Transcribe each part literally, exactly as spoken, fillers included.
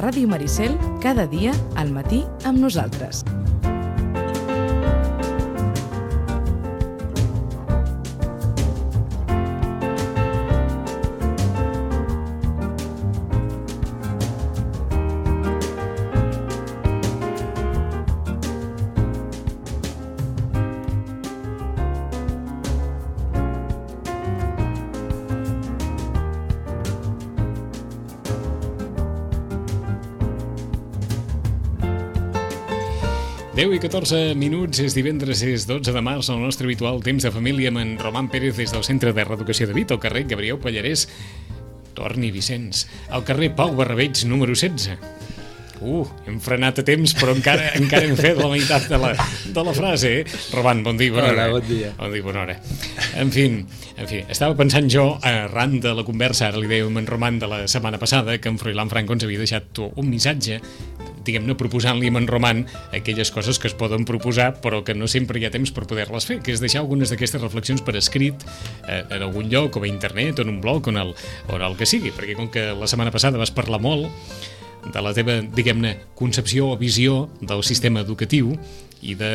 Ràdio Maricel, cada dia al matí amb nosaltres. deu i catorze minuts, és divendres, és dotze de març, el nostre habitual temps de família amb en Roman Pérez des del Centre de Reeducació de Vic, al carrer Gabriel Pallarès, Torni Vicenç, al carrer Pau Barrabeig, número setze. Uh, hem frenat a temps, però encara encara hem fet la meitat de la, de la frase, eh? Roman, bon dia, bona hora. Hola, bon dia. Bon dia, bona hora. En fi, en fi, estava pensant jo, arran de la conversa, ara li deia amb en Roman de la setmana passada, que en Froilán Franco ens havia deixat un missatge, diguem-ne, proposant-li amb en Roman aquelles coses que es poden proposar però que no sempre hi ha temps per poder-les fer, que és deixar algunes d'aquestes reflexions per escrit eh, en algun lloc, o a internet, o en un blog, o en el, o en el que sigui, perquè com que la setmana passada vas parlar molt de la teva, diguem-ne, concepció o visió del sistema educatiu i de,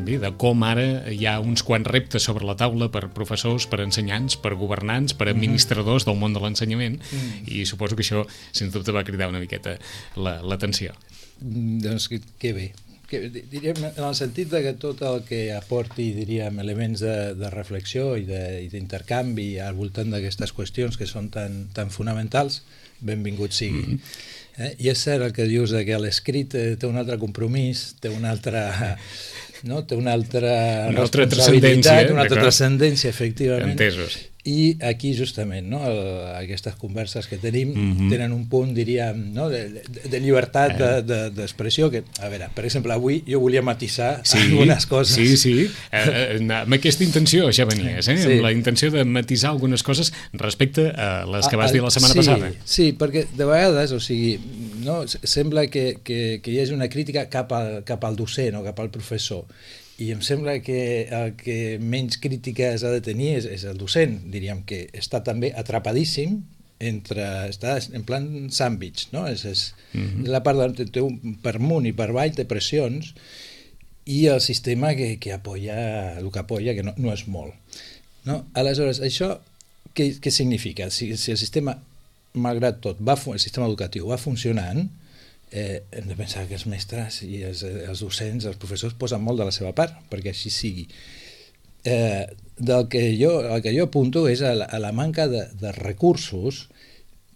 bé, de com ara hi ha uns quants reptes sobre la taula per professors, per ensenyants, per governants, per administradors del món de l'ensenyament, mm. i suposo que això, sens dubte, va cridar una miqueta l'atenció. Doncs que, que bé. Que, diríem, en el sentit de que tot el que aporti, diríem, elements de, de reflexió i d'intercanvi al voltant d'aquestes qüestions que són tan, tan fonamentals, benvingut sigui. Mm -hmm. Eh? I és cert el que dius de que l'escrit té un altre compromís, té una altra, no? té una altra una altra transcendència, una altra transcendència, efectivament. Entesos. I aquí justament, no? El, aquestes converses que tenim mm-hmm. tenen un punt, diríem, no? de, de, de llibertat eh. d'expressió, de, de, que, a veure, per exemple, avui jo volia matisar sí, algunes coses. Sí, sí, eh, amb aquesta intenció ja venies, eh? Sí. Amb la intenció de matisar algunes coses respecte a les que vas dir la setmana sí, passada. Sí, perquè de vegades, o sigui, no? sembla que, que, que hi hagi una crítica cap al, cap al docent o cap al professor, i em sembla que el que menys crítiques ha de tenir és, és el docent, diríem que està també atrapadíssim entre, està en plan sandwich, no? És, és mm-hmm. la part de, té un, per amunt i per avall té pressions i el sistema que, que apoya, el que apoya, que no, no és molt. No? Aleshores, això què, què significa? Si, si el sistema, malgrat tot, va, el sistema educatiu va funcionant, Eh, hem de pensar que els mestres i els, els docents, els professors posen molt de la seva part perquè així sigui. Eh, del que jo, el que jo apunto és a la, a la manca de, de recursos,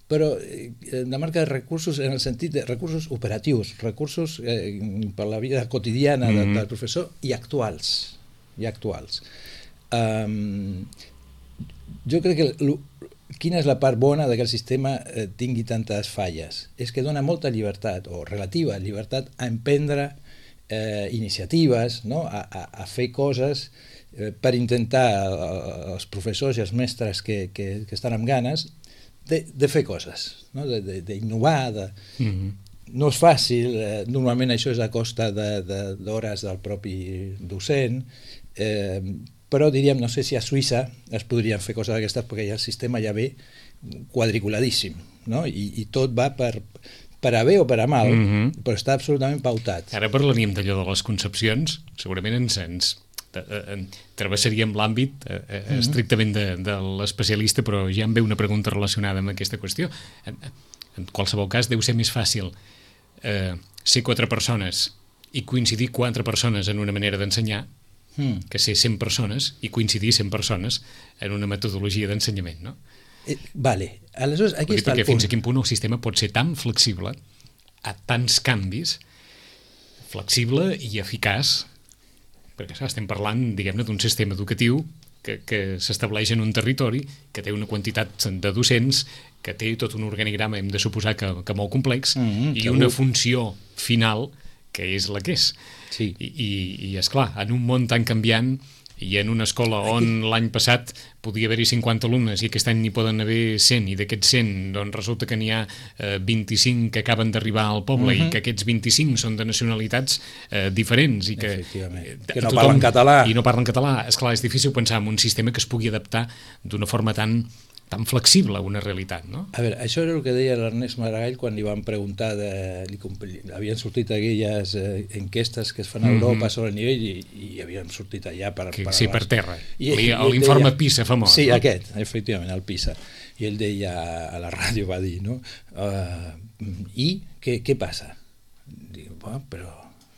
però eh, de manca de recursos en el sentit de recursos operatius, recursos eh, per la vida quotidiana mm-hmm. del, del professor i actuals. I actuals. Um, jo crec que quina és la part bona de que el sistema eh, tingui tantes falles? És que dona molta llibertat, o relativa llibertat, a emprendre eh, iniciatives, no? a, a, a fer coses eh, per intentar eh, els professors i els mestres que, que, que estan amb ganes de, de fer coses, no? d'innovar. De, de, mm-hmm. No és fàcil, eh, normalment això és a costa d'hores de, de, del propi docent, eh, però diríem, no sé si a Suïssa es podrien fer coses d'aquestes perquè ja el sistema ja ve quadriculadíssim, no? I, i tot va per, per a bé o per a mal, mm-hmm. però està absolutament pautat. Ara parlaríem d'allò de les concepcions, segurament ens, ens eh, travessaríem l'àmbit eh, mm-hmm. estrictament de, de l'especialista, però ja em ve una pregunta relacionada amb aquesta qüestió. En, en qualsevol cas deu ser més fàcil eh, ser quatre persones i coincidir quatre persones en una manera d'ensenyar Mm. que ser cent persones i coincidir cent persones en una metodologia d'ensenyament, no? Eh, vale. Aleshores, aquí està el punt. Fins a quin punt el sistema pot ser tan flexible a tants canvis, flexible i eficaç, perquè clar, estem parlant, diguem-ne, d'un sistema educatiu que, que s'estableix en un territori, que té una quantitat de docents, que té tot un organigrama, hem de suposar que, que molt complex, mm-hmm, i una funció final que és la que és. Sí. I, i, i esclar, en un món tan canviant i en una escola on l'any passat podia haver-hi cinquanta alumnes i aquest any n'hi poden haver cent, i d'aquests cent doncs resulta que n'hi ha eh, vint-i-cinc que acaben d'arribar al poble, uh-huh. i que aquests vint-i-cinc són de nacionalitats eh, diferents i que, eh, que no parlen català i no parlen català. Esclar, és difícil pensar en un sistema que es pugui adaptar d'una forma tan tan flexible a una realitat, no? A veure, això era el que deia l'Ernest Maragall quan li van preguntar, de, li, havien sortit aquelles eh, enquestes que es fan a Europa mm -hmm. sobre el nivell i, i havien sortit allà per... Que, per sí, per terra. I, l'informe PISA famós. Sí, no? Aquest, efectivament, el PISA. I ell deia, a la ràdio va dir, no? Uh, I què, què passa? Diu, bueno, però,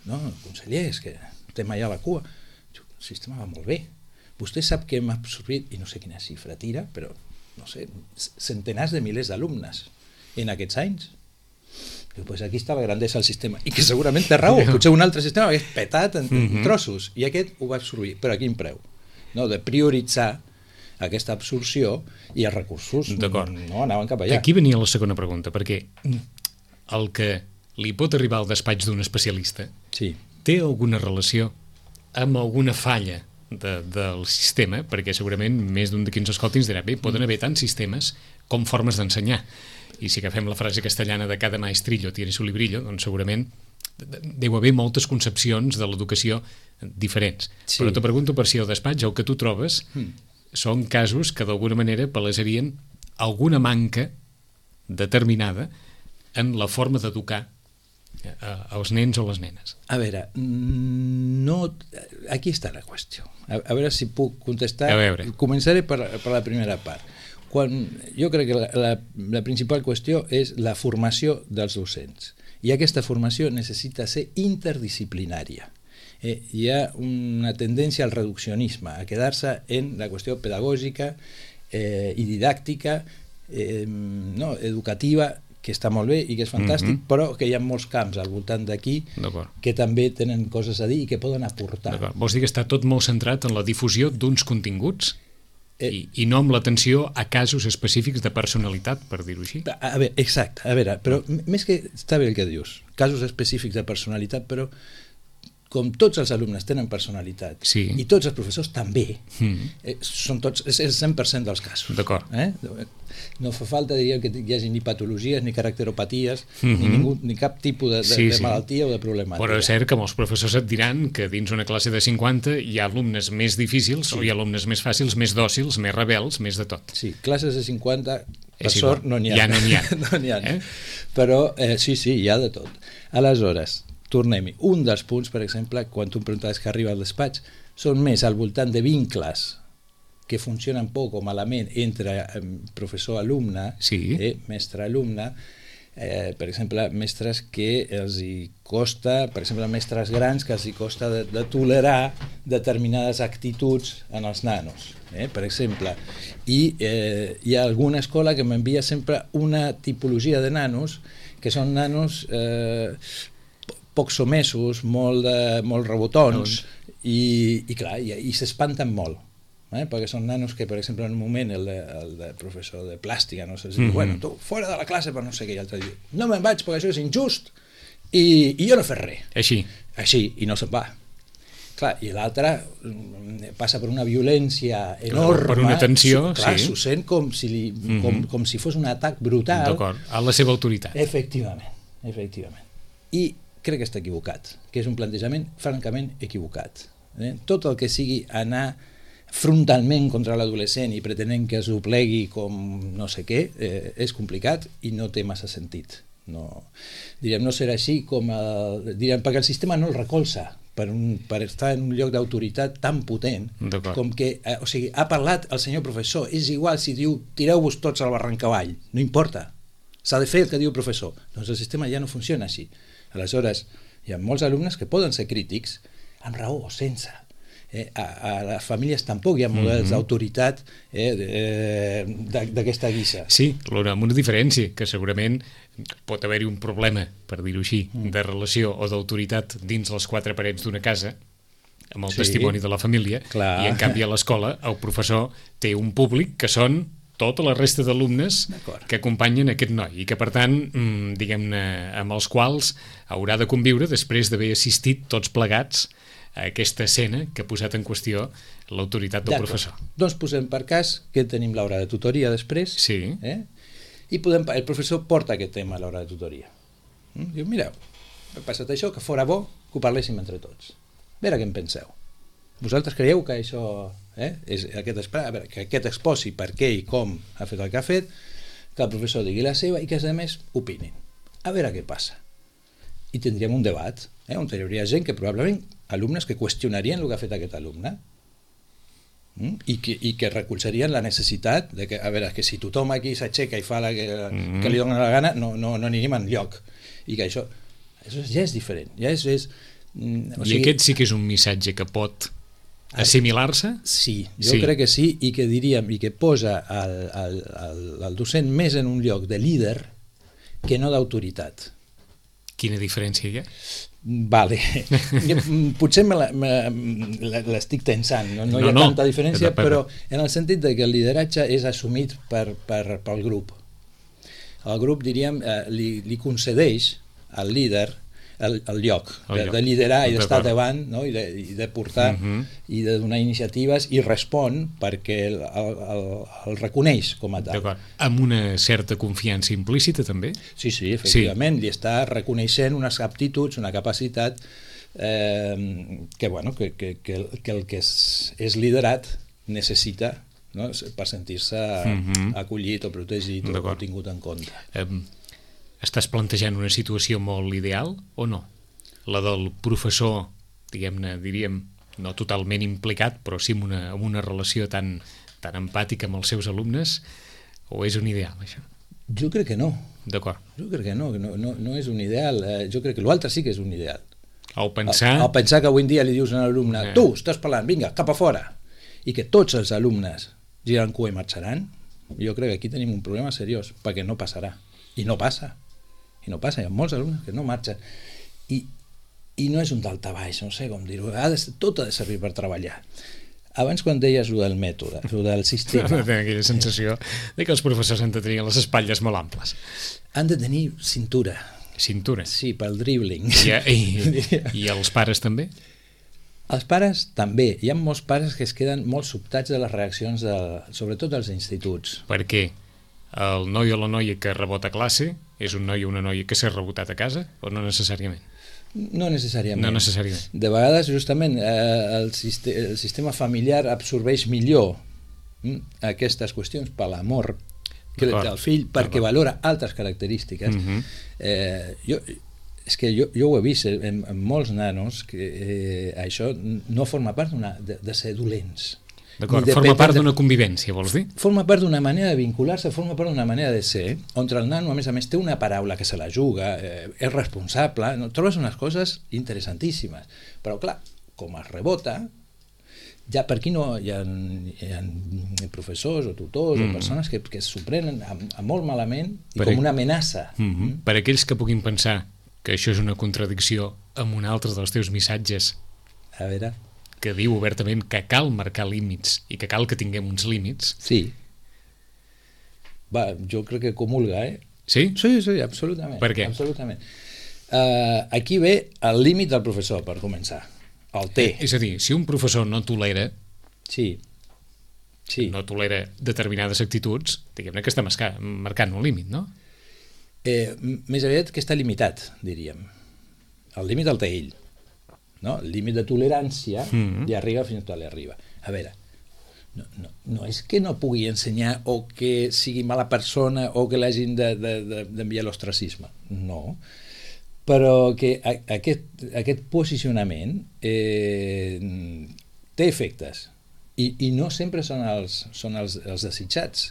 no, conseller, és que estem allà a la cua. El sistema va molt bé. Vostè sap que hem absorbit, i no sé quina xifra tira, però no sé, centenars de milers d'alumnes en aquests anys. Diu, pues aquí està la grandesa del sistema. I que segurament té raó, potser un altre sistema hagués petat en, en trossos, i aquest ho va absorbir. Però a quin preu? No, de prioritzar aquesta absorció i els recursos no anaven cap allà. Aquí venia la segona pregunta, perquè el que li pot arribar al despatx d'un especialista sí. té alguna relació amb alguna falla De, del sistema, perquè segurament més d'un d'aquí ens escolti ens dirà, bé, poden haver tants sistemes com formes d'ensenyar, i si agafem la frase castellana de cada maestrillo tiene su librillo, doncs segurament deu haver moltes concepcions de l'educació diferents, sí. Però te pregunto per si al despatx el que tu trobes mm. són casos que d'alguna manera palesarien alguna manca determinada en la forma d'educar als nens o les nenes. A veure, no... aquí està la qüestió. A, a veure si puc contestar. A veure. Començaré per, per la primera part. Quan, jo crec que la, la, la principal qüestió és la formació dels docents. I aquesta formació necessita ser interdisciplinària. Eh, hi ha una tendència al reduccionisme, a quedar-se en la qüestió pedagògica eh, i didàctica, eh, no, educativa, que està molt bé i que és fantàstic, mm-hmm. però que hi ha molts camps al voltant d'aquí que també tenen coses a dir i que poden aportar. Vols dir que està tot molt centrat en la difusió d'uns continguts eh, i, i no amb l'atenció a casos específics de personalitat, per dir-ho així? A, a veure, exacte, a veure, però més que està bé el que dius, casos específics de personalitat, però com tots els alumnes tenen personalitat sí. i tots els professors també, mm. eh, són tots, és el cent per cent dels casos. D'acord. Eh? No fa falta, diríem, que hi hagi ni patologies, ni caracteropaties, mm-hmm. ni, ningú, ni cap tipus de, de, sí, de sí. malaltia o de problemàtica. Però és cert que molts professors et diran que dins una classe de cinquanta hi ha alumnes més difícils sí. o hi ha alumnes més fàcils, més dòcils, més rebels, més de tot. Sí, classes de cinquanta, per és sort, igual. no n'hi ha. Ja no n'hi ha. no n'hi ha. Eh? Però eh, sí, sí, hi ha de tot. Aleshores, tornem-hi. Un dels punts, per exemple, quan tu em preguntaves que arriba al despatx, són més al voltant de vincles que funcionen poc o malament entre professor-alumne, sí. eh, mestre-alumne, eh, per exemple, mestres que els hi costa, per exemple, mestres grans que els hi costa de, de tolerar determinades actituds en els nanos, eh, per exemple. I eh, hi ha alguna escola que m'envia sempre una tipologia de nanos que són nanos eh, poc somesos, molt, de, molt rebotons, i, i clar, i, i s'espanten molt. Eh? Perquè són nanos que, per exemple, en un moment el, de, el de professor de plàstica no sé, mm-hmm. diu, bueno, tu fora de la classe per no sé què, i l'altre diu, no me'n vaig perquè això és injust i, i jo no he fet res. Així. Així, i no se'n va. Clar, i l'altre passa per una violència enorme. Per una tensió, clar, sí. S'ho sent com si, li, mm-hmm. com, com si fos un atac brutal. D'acord, a la seva autoritat. Efectivament, efectivament. I crec que està equivocat, que és un plantejament francament equivocat. Eh? Tot el que sigui anar frontalment contra l'adolescent i pretenent que es doblegui com no sé què, eh, és complicat i no té massa sentit. No, diríem, no serà així com el, diríem, perquè el sistema no el recolza per, un, per estar en un lloc d'autoritat tan potent com que, eh, o sigui, ha parlat el senyor professor, és igual si diu tireu-vos tots al barranc avall, no importa, s'ha de fer el que diu el professor. Doncs el sistema ja no funciona així. Aleshores, hi ha molts alumnes que poden ser crítics amb raó o sense. Eh, a, a les famílies tampoc hi ha models mm-hmm. d'autoritat eh, d'aquesta guisa. Sí, amb una diferència, que segurament pot haver-hi un problema, per dir-ho així, mm. de relació o d'autoritat dins les quatre parets d'una casa, amb el sí, testimoni de la família, clar. I en canvi a l'escola el professor té un públic que són tota la resta d'alumnes que acompanyen aquest noi i que, per tant, diguem-ne, amb els quals haurà de conviure després d'haver assistit tots plegats a aquesta escena que ha posat en qüestió l'autoritat del professor. Doncs posem per cas que tenim l'hora de tutoria després, sí. eh? I podem, el professor porta aquest tema a l'hora de tutoria. Mm? Diu, mireu, ha passat això, que fora bo que ho parléssim entre tots. A veure què en penseu. Vosaltres creieu que això eh? És aquest esperar, a veure, que aquest exposi per què i com ha fet el que ha fet, que el professor digui la seva i que els altres opinin. A veure què passa. I tindríem un debat, eh? On hi hauria gent que probablement, alumnes que qüestionarien el que ha fet aquest alumne, mm? I, que, i que recolzarien la necessitat de que, a veure, que si tothom aquí s'aixeca i fa la que, mm-hmm. que li dona la gana, no, no, no anirem enlloc. I que això, això ja és diferent. Ja és, és, mm, o sigui, I aquest sí que és un missatge que pot assimilar-se? Sí, jo sí. crec que sí, i que diríem, i que posa el, el, el, el docent més en un lloc de líder que no d'autoritat. Quina diferència hi ha? Vale. Potser me la, me l'estic tensant, no, no, no hi ha no, tanta diferència, no, però en el sentit de que el lideratge és assumit per, per, pel grup. El grup, diríem, eh, li, li concedeix al líder el, el lloc, el de, lloc. de liderar i d'estar davant, no? I, de, i de portar uh-huh. i de donar iniciatives, i respon perquè el, el, el, el reconeix com a tal. Amb una certa confiança implícita també? Sí, sí, efectivament, sí. Li està reconeixent unes aptituds, una capacitat eh, que, bueno, que, que, que, el, que el que és, és liderat necessita, no? Per sentir-se uh-huh. acollit o protegit o tingut en compte. Um, Estàs plantejant una situació molt ideal o no? La del professor, diguem-ne, diríem, no totalment implicat, però sí amb una, amb una relació tan, tan empàtica amb els seus alumnes, o és un ideal, això? Jo crec que no. D'acord. Jo crec que no, no, no, no és un ideal. Eh, jo crec que l'altre sí que és un ideal. El pensar... El, el pensar que avui en dia li dius a un alumne, eh. tu, estàs parlant, vinga, cap a fora, i que tots els alumnes giren cua i marxaran, jo crec que aquí tenim un problema seriós, perquè no passarà. I no passa. I no passa, hi ha molts alumnes que no marxen. I, i no és un daltabaix, no sé com dir-ho, tot ha de servir per treballar. Abans, quan deies el del mètode, el del sistema... Tinc aquella sensació de que els professors han de tenir les espatlles molt amples. Han de tenir cintura. Cintura? Sí, pel dribbling. I, i, i els pares també? Els pares també. Hi ha molts pares que es queden molt sobtats de les reaccions, de, sobretot dels instituts. Per què? El noi o la noia que rebota a classe és un noi o una noia que s'ha rebotat a casa o no necessàriament? No necessàriament. No necessàriament. De vegades, justament, eh, el, sistema, el sistema familiar absorbeix millor hm, aquestes qüestions per l'amor que del fill, perquè valora altres característiques. Uh-huh. eh, jo, és que jo, jo ho he vist en, en molts nanos que eh, això no forma part de, de ser dolents. D'acord, forma part d'una convivència, vols dir? Forma part d'una manera de vincular-se, forma part d'una manera de ser, on el nano, a més a més, té una paraula que se la juga, eh, és responsable, no? Trobes unes coses interessantíssimes. Però, clar, com es rebota, ja per aquí no hi ha, hi ha professors o tutors mm. o persones que, que s'ho prenen a, a molt malament i per com una amenaça. Mm-hmm. Mm. Per aquells que puguin pensar que això és una contradicció amb un altre dels teus missatges, a veure... que diu obertament que cal marcar límits i que cal que tinguem uns límits. Sí. Va, jo crec que comulga, eh? Sí? Sí, sí, absolutament. Per què? Absolutament. Uh, aquí ve el límit del professor, per començar. El té. Eh, és a dir, si un professor no tolera, sí. Sí. no tolera determinades actituds, diguem-ne que està marcant un límit, no? Eh, més aviat que està limitat, diríem. El límit el té ell. No? El límit de tolerància mm-hmm. li arriba fins on li arriba. A veure, no, no, no és que no pugui ensenyar o que sigui mala persona o que l'hagin d'enviar de, de, de, a l'ostracisme. No. Però que a, aquest, aquest posicionament eh, té efectes i, i no sempre són els, són els, els desitjats.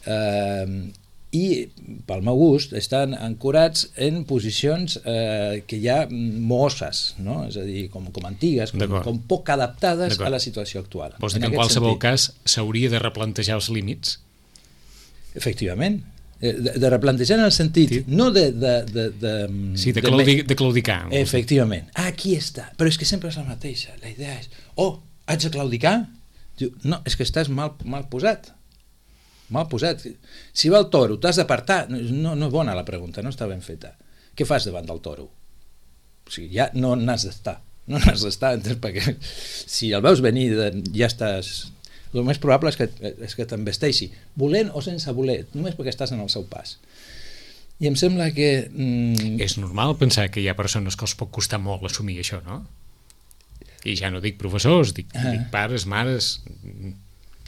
Eh, i pel meu gust estan ancorats en posicions eh, que hi ha mosses, no? És a dir, com, com antigues, com, com poc adaptades a la situació actual. Vols dir que en, en qualsevol sentit. cas s'hauria de replantejar els límits? Efectivament, de, de replantejar en el sentit, sí. no de... de, de, de sí, de, claudi, de claudicar. Efectivament, ah, aquí està, però és que sempre és la mateixa, la idea és, oh, haig de claudicar? Diu, no, és que estàs mal, mal posat. Mal posat. Si va el toro, t'has d'apartar. No, no és bona la pregunta, no està ben feta. Què fas davant del toro? O sigui, ja no n'has d'estar. No n'has d'estar, perquè si el veus venir, ja estàs... El més probable és que, és que t'embesteixi, volent o sense voler, només perquè estàs en el seu pas. I em sembla que... Mm... És normal pensar que hi ha persones que els pot costar molt assumir això, no? I ja no dic professors, dic, Ah. dic pares, mares...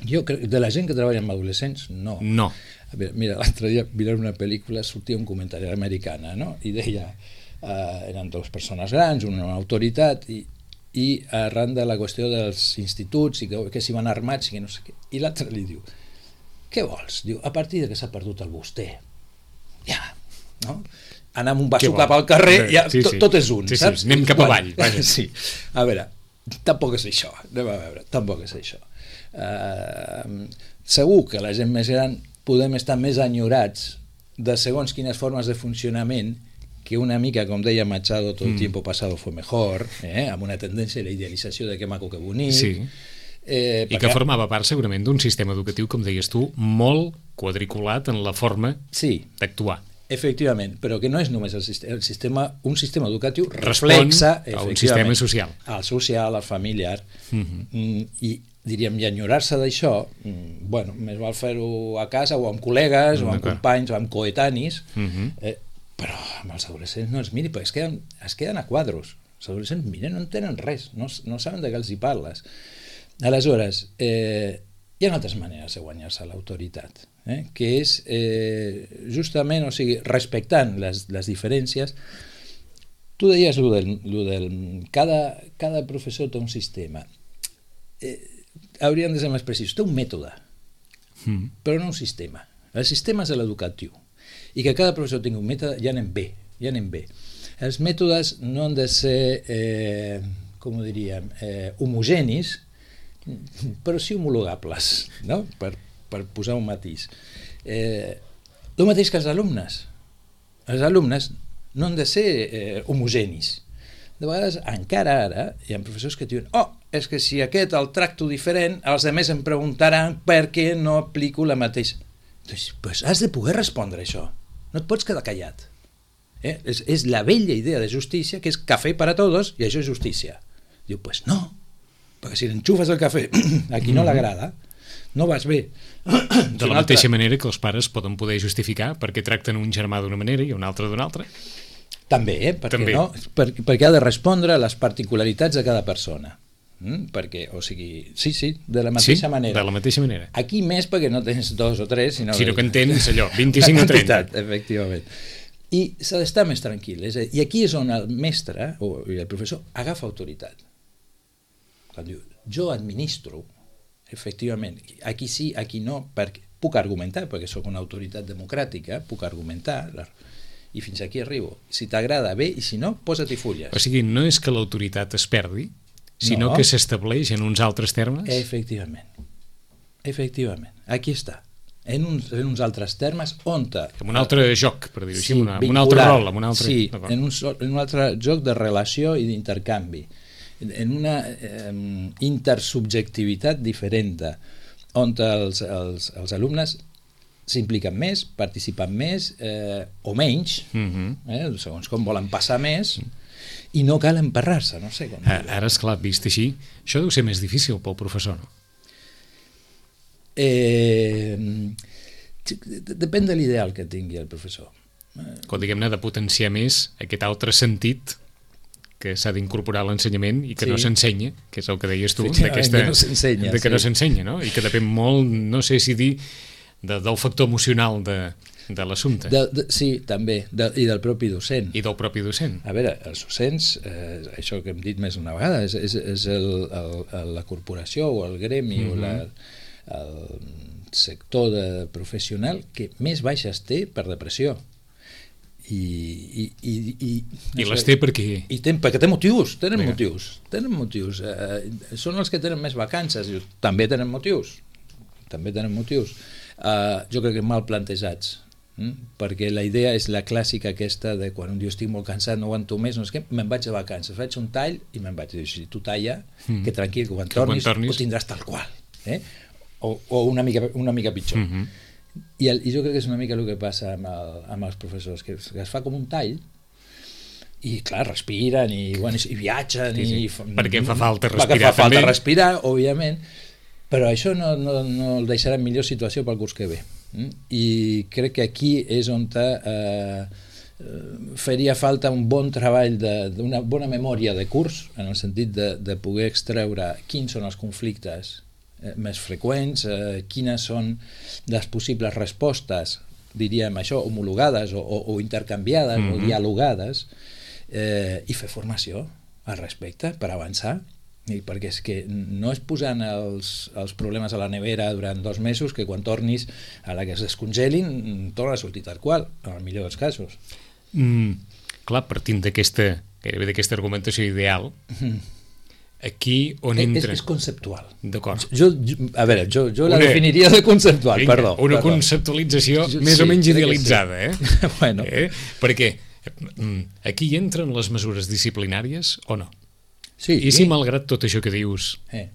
Jo crec, de la gent que treballa amb adolescents, no. No. A veure, mira, l'altre dia mirant una pel·lícula sortia un comentari americana, no? I deia, uh, eren dues persones grans, una, una autoritat, i, i arran de la qüestió dels instituts, i que, que s'hi van armats, i que no sé què, i l'altre li diu, què vols? Diu, a partir de que s'ha perdut el vostè, ja, no? Anar amb un basso cap al carrer, ja, sí, tot, sí. tot és un, sí, saps? Sí, anem cap avall. Vaja. Sí, a veure, tampoc és això, anem a veure, tampoc és això. Uh, segur que la gent més gran podem estar més enyorats de segons quines formes de funcionament que una mica, com deia Machado, tot el mm. tiempo pasado fue mejor, eh? Amb una tendència a la idealització de que maco, que bonic. Sí. Eh, I que formava part segurament d'un sistema educatiu, com deies tu, molt quadriculat en la forma sí, d'actuar. efectivament, però que no és només el sistema, el sistema un sistema educatiu Respon reflexa a un sistema social. Al social, al familiar, Mm-hmm. mm, i diríem, i enyorar-se d'això, mm, bueno, més val fer-ho a casa o amb col·legues, o amb companys, o amb coetanis, Mm-hmm. eh, però amb els adolescents no els miri, perquè es queden, es queden a quadros. Els adolescents, mira, no entenen res, no, no saben de què els hi parles. Aleshores, eh, hi ha altres maneres de guanyar-se l'autoritat, eh, que és eh, justament, o sigui, respectant les, les diferències. Tu deies lo del, lo del cada, cada professor té un sistema. Eh, hauríem de ser més precisos. Té un mètode, Mm. però no un sistema. El sistema és l'educatiu. I que cada professor tingui un mètode, ja anem bé, ja anem bé. Els mètodes no han de ser, eh, com ho diríem, eh, homogenis, però sí homologables, no? per, per posar un matís. Eh, el mateix que els alumnes. Els alumnes no han de ser eh, homogenis. De vegades, encara ara, hi ha professors que diuen oh, és que si aquest el tracto diferent, els altres em preguntaran per què no aplico la mateixa. Doncs, pues has de poder respondre això. No et pots quedar callat. Eh? És, és la vella idea de justícia, que és cafè per a tots, i això és justícia. Diu, pues no, perquè si l'enxufes el cafè a qui no l'agrada, no vas bé. De la mateixa manera que els pares poden poder justificar perquè tracten un germà d'una manera i un altre d'una altra. També, eh? Perquè, També. no? Per, perquè ha de respondre a les particularitats de cada persona. Mm? Perquè, o sigui, sí, sí, de la mateixa sí, manera. de la mateixa manera. Aquí més perquè no tens dos o tres, sinó, Sinó que en tens allò, vint-i-cinc o trenta. Efectivament. I s'ha d'estar més tranquil. És a dir, I aquí és on el mestre o el professor agafa autoritat. Quan diu, jo administro, efectivament, aquí sí, aquí no, perquè puc argumentar, perquè sóc una autoritat democràtica, puc argumentar, i fins aquí arribo. Si t'agrada, bé, i si no, posa-t'hi fulles. O sigui, no és que l'autoritat es perdi, sinó No. que s'estableix en uns altres termes? Efectivament. Efectivament. Aquí està. En uns, en uns altres termes, on te... Amb un altre joc, per dir-ho així, Sí, amb, una, amb un altre vincular. rol. Amb un altre... Sí, D'acord. en un, sol- en un altre joc de relació i d'intercanvi. En una eh, intersubjectivitat diferent, on els, els, els alumnes s'impliquen més, participen més eh, o menys, Mhm. eh, segons com volen passar més, i no cal emparrar-se, no sé com A- dir-ho. Ara, esclar, vist així, això deu ser més difícil pel professor, no? Eh, depèn de l'ideal que tingui el professor. Quan diguem-ne de potenciar més aquest altre sentit que s'ha d'incorporar a l'ensenyament i que Sí. no s'ensenya, que és el que deies tu, Efectivament, d'aquesta- que no s'ensenya, de que no sí. s'ensenya, no? I que depèn molt, no sé si dir, de, del factor emocional de, de l'assumpte De, de, sí, també, de, i del propi docent. i del propi docent. A veure, els docents, eh, això que hem dit més d'una vegada, és, és, és el, el, el, la corporació o el gremi mm-hmm. o la, el sector de professional que més baixes té per depressió. I, i, i, i, I les té perquè... I ten, perquè té motius, tenen Vinga. motius, tenen motius. Eh, són els que tenen més vacances, dius, també tenen motius, també tenen motius. Eh, jo crec que mal plantejats, hm? perquè la idea és la clàssica aquesta de quan un diu estic molt cansat, no aguanto més, no és que me'n vaig de vacances, faig un tall i me'n vaig. Dius, si tu talla, Mm. que tranquil, que quan Que quan tornis, tornis- ho tindràs tal qual. Eh? O, o una, mica, una mica pitjor. Mhm. I, el, I jo crec que és una mica el que passa amb, el, amb els professors, que es, que es fa com un tall i clar, respiren i, bueno, i viatgen Sí, sí. i fa- Perquè fa falta perquè respirar fa falta també. respirar, òbviament, però això no, no, no el deixarà en millor situació pel curs que ve. Mm? I crec que aquí és on te, eh, faria falta un bon treball d'una bona memòria de curs, en el sentit de, de poder extreure quins són els conflictes eh, més freqüents, eh, quines són les possibles respostes, diríem això, homologades o, o, o intercanviades mm-hmm. o dialogades, eh, i fer formació al respecte per avançar. I perquè és que no és posant els, els problemes a la nevera durant dos mesos que quan tornis a la que es descongelin torna a sortir tal qual, en el millor dels casos. Mm, clar, partint d'aquesta gairebé d'aquesta argumentació ideal, mm. aquí on entra... És, és conceptual. D'acord. Jo, jo, a veure, jo, jo la una, definiria de conceptual, vinga, perdó. Una perdó. conceptualització jo, més sí, o menys idealitzada, sí. eh? bueno. eh? Perquè aquí entren les mesures disciplinàries o no? Sí, I si sí. malgrat tot això que dius eh.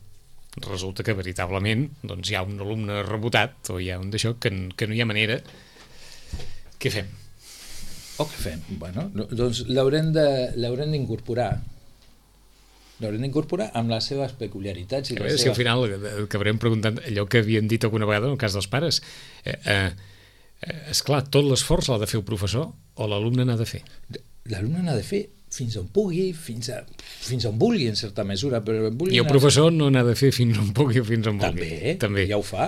resulta que veritablement doncs, hi ha un alumne rebotat o hi ha un d'això que, que no hi ha manera, què fem? O què fem? Bueno, doncs l'haurem d'incorporar l'haurem d'incorporar amb les seves peculiaritats. I a veure seves... si al final acabarem preguntant allò que havien dit alguna vegada en el cas dels pares. Eh, eh, esclar, tot l'esforç l'ha de fer el professor o l'alumne n'ha de fer? L'alumne n'ha de fer fins on pugui, fins, a, fins on vulgui, en certa mesura. Però I el professor no n'ha de fer fins on pugui o fins on vulgui. També, També, ja ho fa.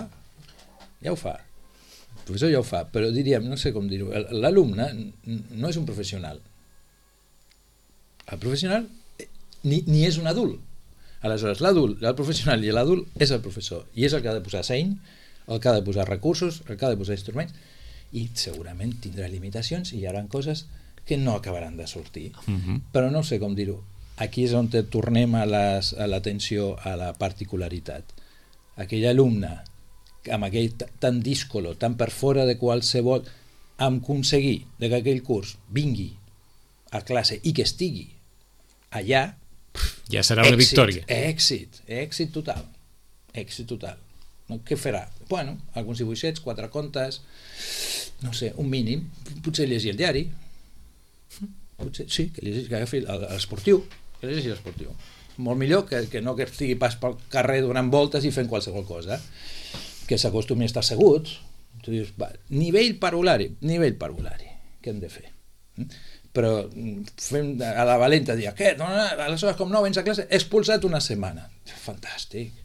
Ja ho fa. El professor ja ho fa, però diríem, no sé com dir-ho, l'alumne no és un professional. El professional ni, ni és un adult. Aleshores, l'adult, el professional i l'adult és el professor, i és el que ha de posar seny, el que ha de posar recursos, el que ha de posar instruments, i segurament tindrà limitacions i hi haurà coses que no acabaran de sortir. Uh-huh. Però no sé com dir-ho. Aquí és on tornem a l'atenció a la particularitat. Aquell alumne amb aquell tan díscolo, tan per fora de qualsevol, amb aconseguir que aquell curs vingui a classe i que estigui allà, ja serà una èxit, victòria. Èxit, èxit total. Èxit total. No, què farà? Bueno, alguns dibuixets, quatre contes, no sé, un mínim, potser llegir el diari, potser, sí, que llegeixi, que agafi l'esportiu, que llegeixi l'esportiu. Molt millor que, que no que estigui pas pel carrer donant voltes i fent qualsevol cosa. Que s'acostumi a estar asseguts. Tu dius, va, nivell parvulari, nivell parvulari, què hem de fer? Però fem a la valenta dir, què? No, no, aleshores com no vens a classe, expulsat una setmana. Fantàstic,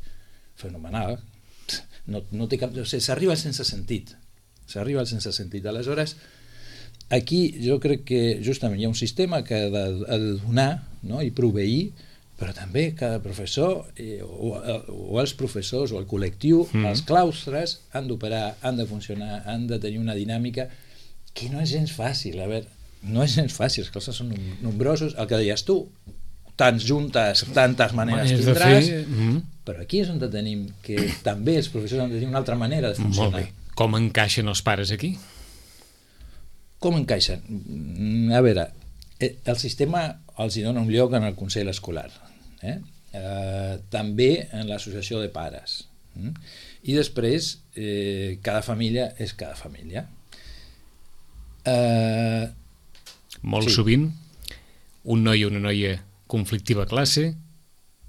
fenomenal. No, no té cap... O sigui, s'arriba sense sentit. S'arriba al sense sentit. Aleshores, aquí jo crec que justament hi ha un sistema que ha de, ha de donar, no? I proveir, però també cada professor eh, o, o els professors o el col·lectiu, mm. els claustres han d'operar, han de funcionar, han de tenir una dinàmica que no és gens fàcil. A veure, no és gens fàcil, els claustres són nombrosos, el que deies tu, tants juntes, tantes maneres Manes tindràs, fer... mm. però aquí és on tenim que també els professors han de tenir una altra manera de funcionar. Molt bé. Com encaixen els pares aquí? Com encaixen? A veure, el sistema els hi dona un lloc en el Consell Escolar, eh? Eh, també en l'associació de pares, eh? I després eh, cada família és cada família. Eh, Molt sí. Sovint un noi o una noia conflictiva a classe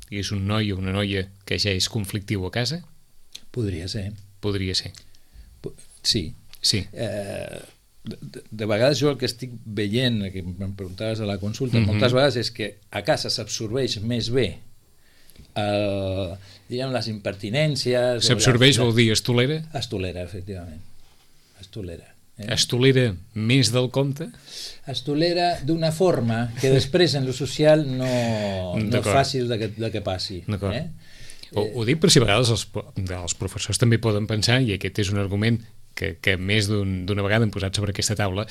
i és un noi o una noia que ja és conflictiu a casa? Podria ser. Podria ser. Sí. Sí. Eh, de, de vegades jo el que estic veient, que em preguntaves a la consulta, mm-hmm. moltes vegades és que a casa s'absorbeix més bé el, diguem, les impertinències... S'absorbeix vol dir es tolera? Es tolera, efectivament. Es tolera. Eh? Es tolera més del compte? Es tolera d'una forma que després en lo social no, no és fàcil de que, de que passi. D'acord. Eh? Ho, ho dic per si a vegades els, els professors també poden pensar, i aquest és un argument que, que més d'una un, vegada hem posat sobre aquesta taula,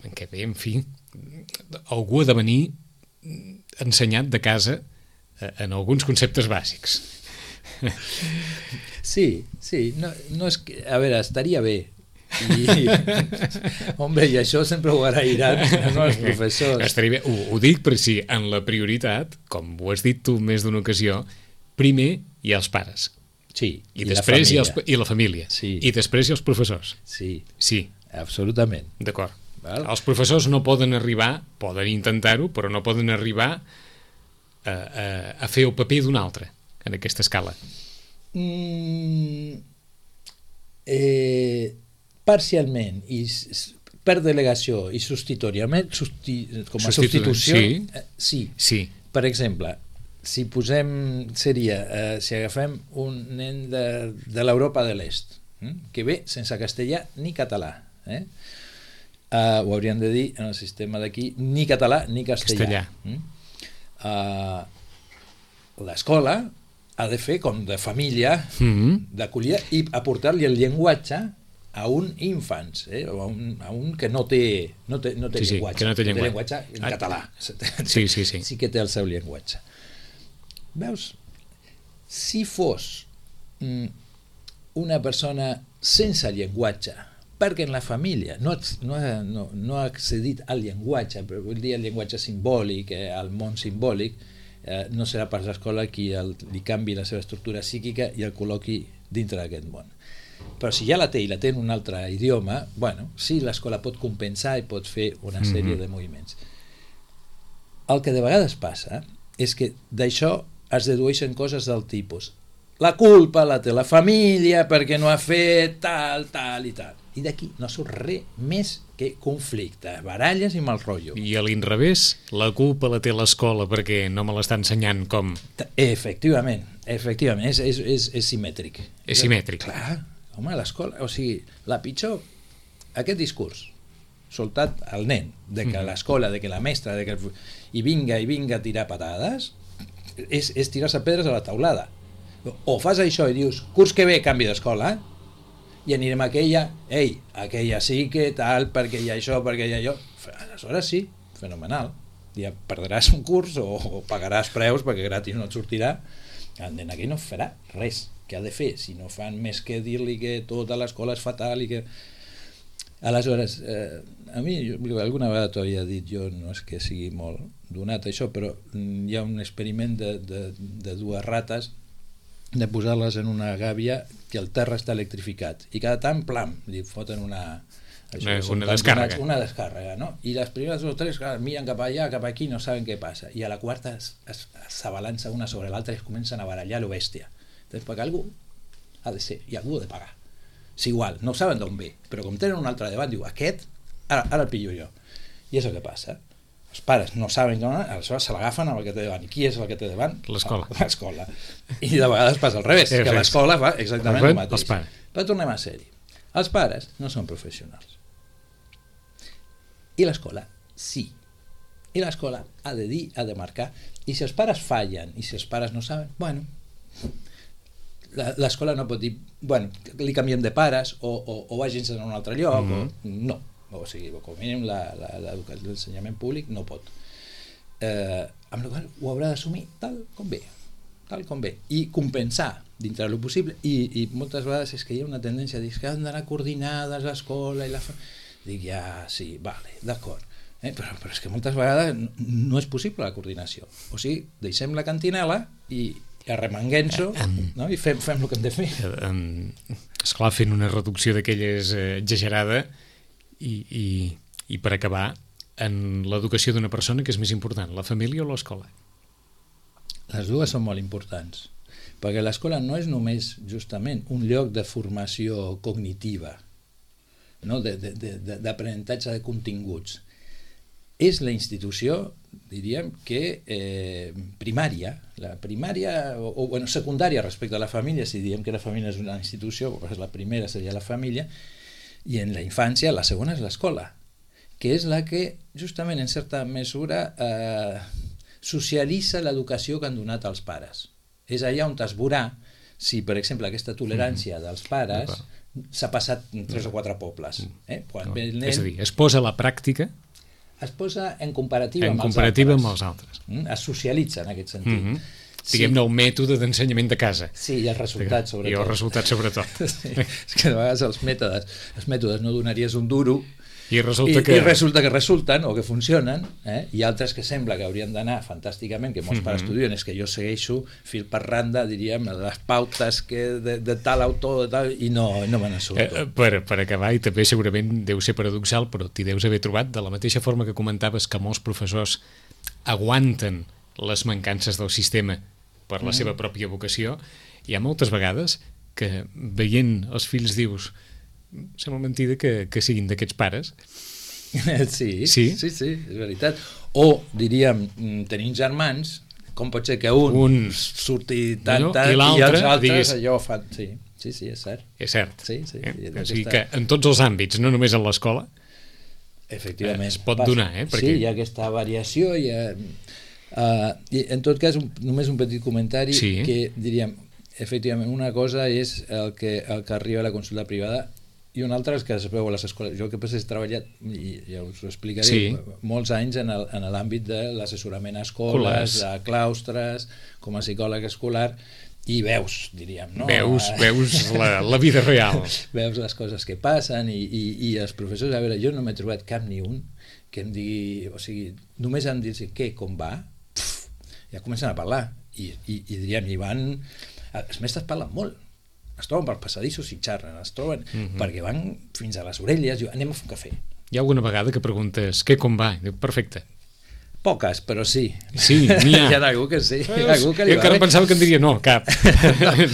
en què bé, en fi, algú ha de venir ensenyat de casa en alguns conceptes bàsics. Sí, sí, no, no és que, a veure, estaria bé. I, hombre, i això sempre ho agrairan no, els professors. Estaria bé. Ho, ho dic per si en la prioritat, com ho has dit tu més d'una ocasió, primer hi ha els pares. Sí, i, i després hi ha els, i la família. Sí. I després hi ha els professors. Sí, sí. Absolutament. D'acord. Els professors no poden arribar, poden intentar-ho, però no poden arribar a, a, a fer el paper d'un altre en aquesta escala. Mm, eh, parcialment, i per delegació i substitutoriament, substi, com a Substitu- substitució, sí. eh, sí. Sí. Per exemple, si posem, seria, eh, si agafem un nen de, de l'Europa de l'Est, eh, que ve sense castellà ni català, eh? Uh, ho hauríem de dir en el sistema d'aquí, ni català ni castellà. Castellà. Uh, l'escola ha de fer com de família, Mm-hmm. d'acollida, i aportar-li el llenguatge a un infants, eh? o a un, a un que no té, no té, no té Sí, sí, llenguatge, que no té llenguatge. llenguatge en Ah. català. Sí, sí, sí. Sí que té el seu llenguatge. Veus? Si fos mm, una persona sense llenguatge, perquè en la família no, no, ha, no, no ha accedit al llenguatge, però vull dir el llenguatge simbòlic, eh, al món simbòlic, eh, no serà pas l'escola qui el, li canvi la seva estructura psíquica i el col·loqui dintre d'aquest món. Però si ja la té i la té en un altre idioma, bueno, sí, l'escola pot compensar i pot fer una sèrie mm-hmm. de moviments. El que de vegades passa és que d'això es dedueixen coses del tipus: la culpa la té la família perquè no ha fet tal, tal i tal. I d'aquí no surt res més que conflicte, baralles i mal rotllo. I a l'inrevés, la culpa la té l'escola perquè no me l'està ensenyant com... Efectivament, efectivament, és, és, és, és simètric. És simètric. Clar, home, l'escola, o sigui, la pitjor, aquest discurs soltat al nen, de que l'escola, de que la mestra, de que i vinga i vinga a tirar patades, és, és tirar-se pedres a la taulada. O fas això i dius, curs que ve canvi d'escola, i anirem a aquella, ei, aquella sí que tal, perquè hi ha això, perquè hi ha allò. Aleshores sí, fenomenal. Ja perdràs un curs o, o pagaràs preus perquè gratis no et sortirà. El nen aquí no farà res. Què ha de fer? Si no fan més que dir-li que tota l'escola és fatal i que... Aleshores, eh, a mi, jo, alguna vegada t'ho havia dit, jo no és que sigui molt donat això, però hi ha un experiment de, de, de dues rates, de posar-les en una gàbia que el terra està electrificat i cada tant, plam, li foten una això, una, una descàrrega una descàrrega, no? I les primeres dos o tres clar, miren cap allà, cap aquí, no saben què passa, i a la quarta s'abalança una sobre l'altra i es comencen a barallar lo bèstia. Entonces, perquè algú ha de ser, i algú ha de pagar. És igual, no saben d'on ve, però com tenen un altre davant, diu, aquest, ara, ara el pillo jo. I és el que passa. Els pares no saben com, aleshores se l'agafen amb el que té davant. I qui és el que té davant? L'escola. L'escola. I de vegades passa al revés, que l'escola fa exactament el mateix. Però tornem a ser-hi. Els pares no són professionals. I l'escola sí. I l'escola ha de dir, ha de marcar. I si els pares fallen, i si els pares no saben, bueno, l'escola no pot dir, bueno, li canviem de pares, o, o, o vagin a un altre lloc, mm-hmm. o no. O sigui, com a mínim l'ensenyament públic no pot. Eh, amb la qual ho haurà d'assumir tal com ve, tal com ve, i compensar dintre del possible, i, i moltes vegades és que hi ha una tendència a dir que han d'anar coordinades l'escola i la... Dic, ja, sí, vale, d'acord, eh? però, però és que moltes vegades no és possible la coordinació. O sigui, deixem la cantinela i arremanguem-s'ho, no? I fem, fem el que hem de fer. Esclar, fent una reducció d'aquelles eh, exagerada. I, i, i per acabar, en l'educació d'una persona, que és més important, la família o l'escola? Les dues són molt importants, perquè l'escola no és només justament un lloc de formació cognitiva, no? d'aprenentatge de, de, de continguts. És la institució, diríem, que eh, primària, la primària, o, o bueno, secundària respecte a la família, si diem que la família és una institució, doncs la primera seria la família, i en la infància la segona és l'escola, que és la que justament en certa mesura eh, socialitza l'educació que han donat els pares. És allà on es veurà si, per exemple, aquesta tolerància dels pares s'ha passat en tres o quatre pobles. Eh? Quan ve el nen, és a dir, es posa a la pràctica, es posa en comparativa, en amb, comparativa els amb els altres. Es socialitza en aquest sentit. Mm-hmm. Diguem-ne, el mètode d'ensenyament de casa. Sí, i els resultats, sobretot. I els resultats, sobretot. Sí, és que a vegades els mètodes, els mètodes no donaries un duro, i resulta, i, que... i resulta que resulten o que funcionen, eh? I altres que sembla que haurien d'anar fantàsticament, que molts mm-hmm. pares estudien, és que jo segueixo fil per randa, diríem, les pautes que de, de tal autor, de tal, i no, no me n'assurto. Eh, per, per acabar, i també segurament deu ser paradoxal, però t'hi deus haver trobat, de la mateixa forma que comentaves que molts professors aguanten les mancances del sistema per la mm. seva pròpia vocació, hi ha moltes vegades que veient els fills dius sembla mentida que, que siguin d'aquests pares Sí, Sí? sí, sí, és veritat. O, diríem, tenim germans, com pot ser que un, Un surti tant, allò, tant, i i, l'altre, els altres diguis- allò fan... Sí, sí, sí, és cert. És cert. Sí, sí. Eh? I O sigui aquesta- que en tots els àmbits, no només en l'escola, Efectivament. Eh, es pot passa. donar, eh, perquè- Sí, hi ha aquesta variació. Hi ha, uh, i en tot cas, un, només un petit comentari Sí. que diríem, efectivament, una cosa és el que, el que arriba a la consulta privada i una altra és que es veu a les escoles. Jo el que passa és treballat, i ja us ho explicaré, Sí. molts anys en el- en l'àmbit de l'assessorament a escoles, Escolars. a claustres, com a psicòleg escolar, i veus, diríem, no? veus, veus la, la vida real. Veus les coses que passen i, i, i els professors, a veure, jo no m'he trobat cap ni un que em digui, o sigui, només em dir què, com va, pf, ja comencen a parlar i, i, i diríem, i van els mestres parlen molt, es troben pels passadissos i xarren, es troben Mhm. perquè van fins a les orelles, diu, anem a fer un cafè. Hi ha alguna vegada que preguntes què, com va? I diu, perfecte. Poques, però sí. Sí, n'hi ha. Hi ha algú que sí. Hi ha algú que li Jo va encara bé. pensava que en diria no, cap.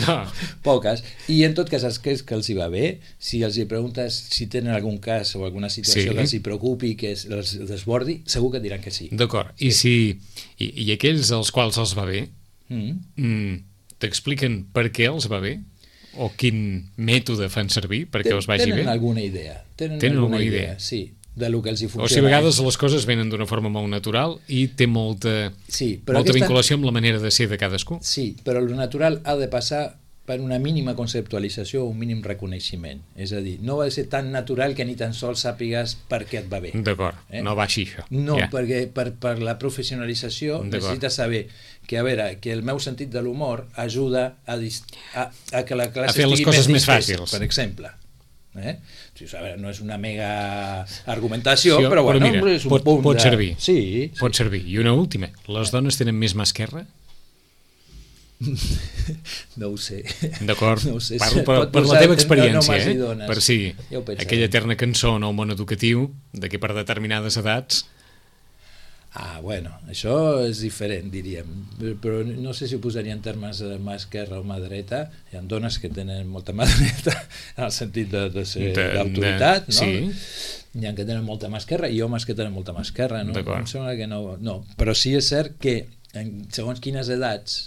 no. Poques. I en tot cas, els que, que els hi va bé, si els hi preguntes si tenen algun cas o alguna situació Sí. que els hi preocupi, que es, els desbordi, segur que et diran que sí. D'acord. I, si, i, I aquells als quals els va bé, Mm. mm, t'expliquen per què els va bé? O quin mètode fan servir perquè Ten- els vagi tenen bé? alguna idea. Tenen, Tenen alguna alguna idea, idea. sí, de lo que els hi O funciona. sigui, a vegades les coses venen d'una forma molt natural i té molta, Sí, però molta aquesta- vinculació amb la manera de ser de cadascú. Sí, però lo natural ha de passar per una mínima conceptualització o un mínim reconeixement. És a dir, no va ser tan natural que ni tan sols sàpigues per què et va bé. D'acord, Eh? no va així això. No, Ja. perquè per, per la professionalització D'acord. necessites saber que, a veure, que el meu sentit de l'humor ajuda a, dis- a, a que la classe A fer les estigui coses més distesa, fàcils. per exemple. Eh? Sí, a veure, no és una mega argumentació, Sí, però, però bueno, mira, és un pot- punt pot de... servir. Sí, sí. Pot servir. I una última. Les dones tenen més mà esquerra? No ho sé. D'acord? No ho sé. Parlo per, Pot per la posar teva en experiència, homes i eh? dones. Per si Ja ho pensarem. aquella eterna cançó en el món educatiu de que per determinades edats Ah, bueno, això és diferent, diríem. Però no sé si ho posaria en termes de mà esquerra o mà dreta. Hi ha dones que tenen molta mà dreta en el sentit de, de ser De- d'autoritat, de- no? sí. Hi ha que tenen molta mà esquerra i homes que tenen molta mà esquerra, no? D'acord. Em sembla que no, no. Però sí és cert que en segons quines edats...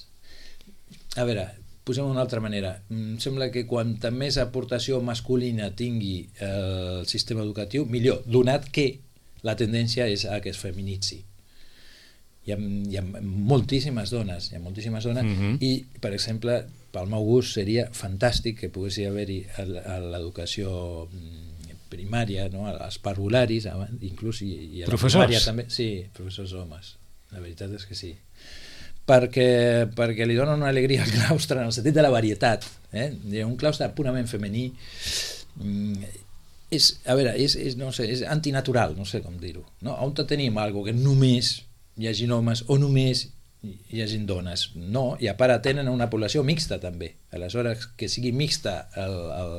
A veure, posem una altra manera. Em sembla que quanta més aportació masculina tingui eh, el sistema educatiu, millor, donat que la tendència és a que es feminitzi. Hi ha, hi ha moltíssimes dones, hi ha moltíssimes dones, Mhm. i, per exemple, pel meu gust seria fantàstic que pogués haver-hi a l- a l'educació mm, primària, no? als parvularis, abans, inclús i, i a la Professors? primària també. Sí, professors homes, la veritat és que sí. Perquè, perquè li donen una alegria al claustre en el sentit de la varietat. Eh? Un claustre purament femení mm, és, a veure, és, és, no sé, és antinatural, no sé com dir-ho. No? On tenim algo que només hi hagi homes o només hi hagi dones? No, i a part tenen una població mixta també. Aleshores, que sigui mixta el, el,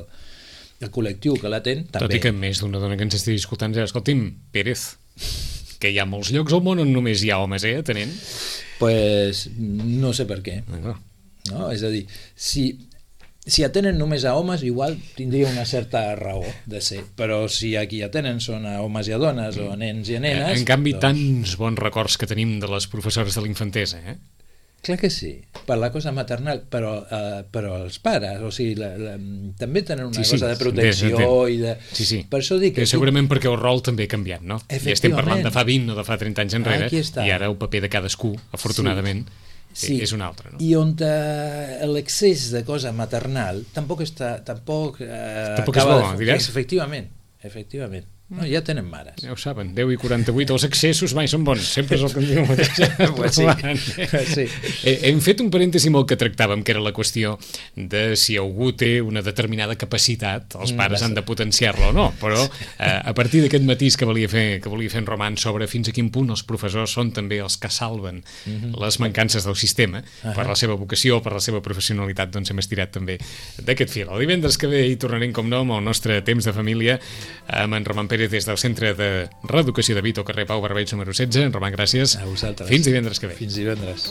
el col·lectiu que l'atén, també. tot i que més d'una dona que ens estigui escoltant dirà, escolti'm, Pérez, que hi ha molts llocs al món on només hi ha homes, eh, atenent. Pues, no sé per què. D'acord. No? És a dir, si, si atenen només a homes, igual tindria una certa raó de ser, però si aquí atenen són a homes i a dones o a nens i a nenes... En canvi, doncs, tants bons records que tenim de les professores de l'infantesa, eh? Clar que sí, per la cosa maternal, però, uh, però els pares, o sigui, la, la, també tenen una Sí, sí, cosa de protecció bé, i de... Sí, sí. Per això dic que... Eh, segurament perquè el rol també ha canviat, no? I estem parlant de fa vint o de fa trenta anys enrere, Aquí està. i ara el paper de cadascú, afortunadament, Sí. és un altre, no? I on eh, l'excés de cosa maternal tampoc està... Tampoc, eh, Tampoc és acaba bo, de- diràs? Efectivament, efectivament. No, ja tenen mares. Ja ho saben, deu i quaranta-vuit, els excessos mai són bons, sempre és el que em diu el mateix. Pues sí. Sí. Eh, Hem fet un parèntesi molt que tractàvem, que era la qüestió de si algú té una determinada capacitat, els pares han de potenciar-la o no, però eh, a partir d'aquest matís que volia fer que volia fer en Roman sobre fins a quin punt els professors són també els que salven les mancances del sistema, per la seva vocació, per la seva professionalitat, doncs hem estirat també d'aquest fil. El divendres que ve hi tornarem, com no, amb el nostre temps de família, amb en Roman Pérez des del Centre de Reeducació de Vito, carrer Pau Barbeig número setze. En Roman, gràcies. A vosaltres. Fins divendres que ve. Fins divendres.